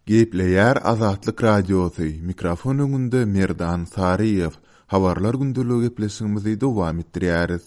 Gepleýär Azatlyk Radiosy, mikrofon öňünde Merdan Saryýew. Habarlar gündeligi gepleşigimizi dowam etdirýäris.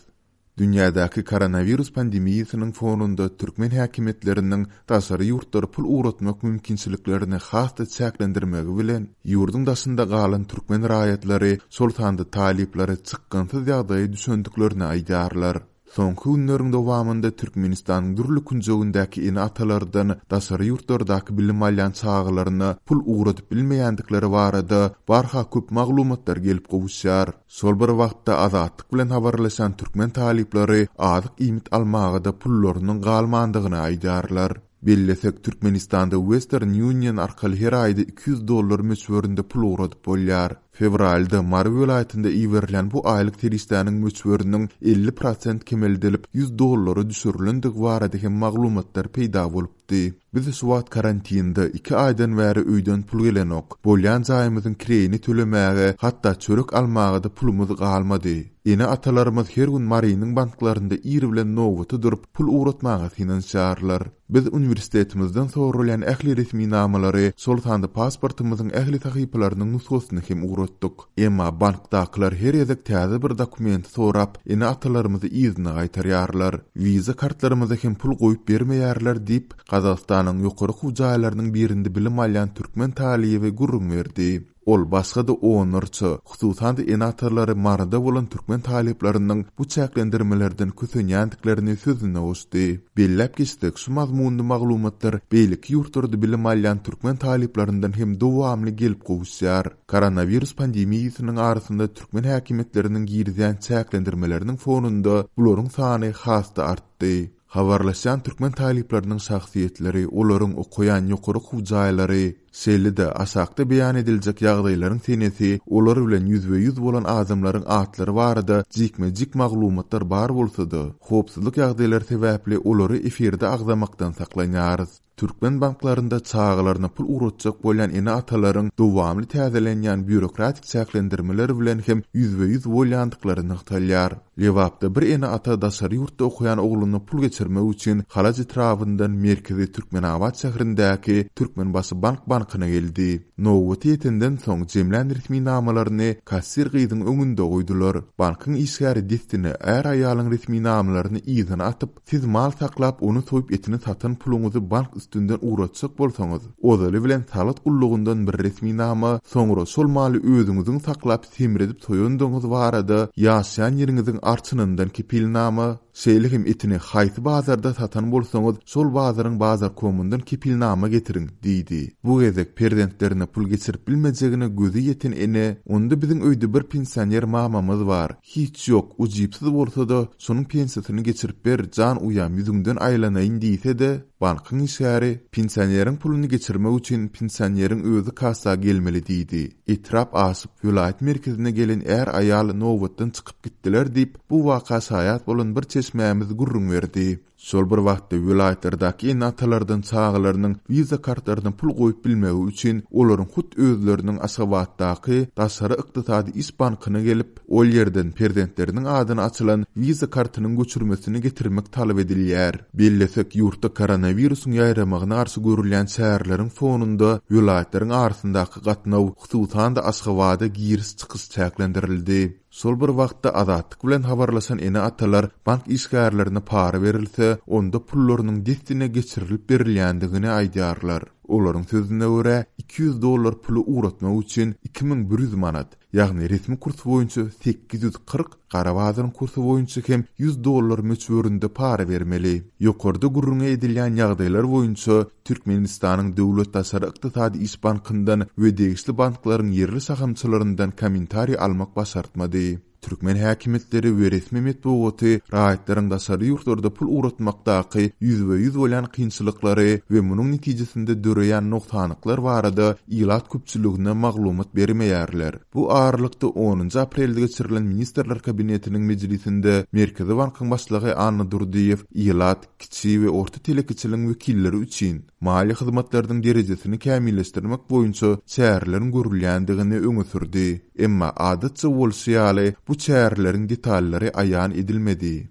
Dünýädäki koronawirus pandemiýasynyň fonunda türkmen häkimiýetleriniň daşary ýurtlara pul ugratmak mümkinçiliklerini has-da çäklendirmegi bilen, ýurduň daşynda galan türkmen raýatlary, şol sanda talyplary çykgynsyz ýagdaýa düşendiklerini aýdýarlar. Soňky günleriň dowamynda Türkmenistanyň dürli künjegindäki ene-atalardan daşary ýurtlardaky bilim alýan çagalaryna pul ugradyp bilmeýändikleri barada barha köp maglumatlar gelip gowuşýar. Şol bir wagtda Azatlyk bilen habarlaşan türkmen talyplary azyk-iýmit almaga-da pullarynyň galmandygyny aýdýarlar. Bellesek, Türkmenistanda Western Union arkaly her aýda 200 dollar möçberinde pul ugradyp bolýar. Fewralda Mary welaýatynda iberilýän bu aýlyk serişdäniň möçberiniň 50 prosent kemeldilip, 100 dollara düşürilendigi barada hem maglumatlar peýda bolupdy. Biz şu wagt karantinde, iki aýdan bäri öýden pul gelenok. Bolýan jaýymyzyň kireýini tölemäge, hatda çörek almaga-da pulumyz galmady. Ene-atalarymyz her gün Marynyň banklarynda ir bilen nobata durup, pul ugratmaga synanyşýarlar. Biz uniwersitetimizden soralýan ähli resminamalary, şol sanda pasportymyzyň ähli sahypalarynyň nusgasyny hem ugratdyk. Emma bankdakylar her gezek täze bir dokumenti sorap, ene-atalarymyzy yzyna gaýtarýarlar. Wiza kartlarymyza hem pul goýup bermeýärler diýip, Gazagystanyň ýokary okuw jaýlarynyň birinde bilim alýan türkmen talyby gürrüň berdi. Ol başga-da onlarça, hususan-da ene-atalary Maryda bolan türkmen talyplarynyň bu çäklendirmelerden kösenýändiklerini sözüne goşdy. Belläp geçsek, şu mazmunly maglumatlar beýleki ýurtlarda bilim alýan türkmen talyplaryndan hem dowamly gelip gowuşýar. Koronawirus pandemiýasynyň arasynda türkmen häkimiýetleriniň girizýän çäklendirmeleriniň fonunda bularyň sany has-da artdy. Habarlaşýan türkmen talyplarynyň şahsyýetleri, olaryň okaýan ýokary okuw jaýlary, şeýle-de aşakda beýan ediljek ýagdaýlaryň senesi, olar bilen ýüzbe-ýüz bolan adamlaryň atlary barada jikme-jik maglumatlar bar bolsa-da, howpsuzlyk ýagdaýlary sebäpli olary efirde agzamakdan saklanýarys. Türkmen banklarynda çagalaryna pul ugratjak bolýan ene-atalaryň dowamly täzelenýän býurokratik çäklendirmeler bilen hem ýüzbe-ýüz bolýandyklary nygtalýar. Lebapda bir ene-ata daşary ýurtda okaýan ogluna pul geçirmek üçin Halaç etrabyndan merkezi Türkmenabat şäherindäki Türkmenbaşy bank bankyna geldi. Nobaty ýetenden soň jemlän resminamalaryny kassir gyzyň öňünde goýdular. Bankyň işgäri dessine är-aýalyň resminamalaryny yzyna atyp, Siz mal saklap, ony soýup etini satan puluňyzy bank üstünden ugratjak bolsaňyz, ozaly bilen salgyt gullugyndan bir resminama, soňra şol maly özüňiziň saklap semredip soýandygyňyz barada ýaşaýan ýeriňiziň arçynyndan kepilnama, şeýle hem etini haýsy bazarda satan bolsaňyz, şol bazaryň bazarkomyndan kepilnama getiriň, diýdi. Bu gezek perzentlerine pul geçirip bilmejegine gözi ýeten ene, Onda biziň öýde bir pensioner mamamyz bar. Hiç ýok, ujypsyz bolsa-da, şonuň pensiýasyny geçirip ber, jan uýam, ýüzüňden aýlanaýyn diýse-de, bankyň işgäri, Pensioneriň puluny geçirmek üçin pensioneriň özi kassa gelmeli diýdi. Etrap aşyp, welaýat merkezine gelen är-aýal nobatdan çykyp gitdiler diýip, bu waka şaýat bolan bir çeşmämiz gürrüň berdi. Şol bir wagtda, welaýatlardaky ene-atalardan çagalarynyň Visa kartlaryna pul goýup bilmegi üçin, olaryň hut özleriniň Aşgabatdaky Daşary ykdysady iş bankyna gelip, ol ýerden perzentleriniň adyna açylan Visa kartynyň göçürmesini getirmek talap edilýär. Bellesek, ýurtda koronawirusyň ýaýramagyna garşy görülýän çäreleriň fonunda welaýatlaryň arasyndaky gatnaw, hususan-da Aşgabada giriş-çykyş çäklendirildi. Şol bir wagtda Azatlyk bilen habarlaşan ene-atalar bank işgärlerine para berilse, onda pullarynyň dessine geçirilip berilýändigini aýdýarlar. Olaryň sözüne görä, 200 dollar puly ugratmak üçin 2100 manat, ýagny resmi kurs boýunça 840, gara bazaryň kursy boýunça hem 100 dollar möçberinde para bermeli. Ýokarda gürrüňi edilýän ýagdaýlar boýunça Türkmenistanyň Döwlet daşary ykdysady iş bankyndan we degişli banklaryň ýerli şahamçalaryndan kommentariý almak başartmady. Türkmen häkimiýetleri we resmi metbugaty raýatlaryň daşary ýurtlarda pul ugratmakdaky ýüzbe-ýüz bolýan kynçylyklary we munuň netijesinde döreýän nogsanlyklar barada ilat köpçüligine maglumat bermeýärler. Bu aralykda, onunjy aprelde geçirilen Ministrler Kabinetiniň mejlisinde Merkezi bankyň başlygy Anna Durdyýew ilat, kiçi we orta telekeçiligiň wekilleri üçin maliýe hyzmatlarynyň derejesini kämilleşdirmek boýunça çäreleriň görülýändigini öňe sürdi. Emma, adatça bolşy ýaly, bu çäreleriň detallary aýan edilmedi.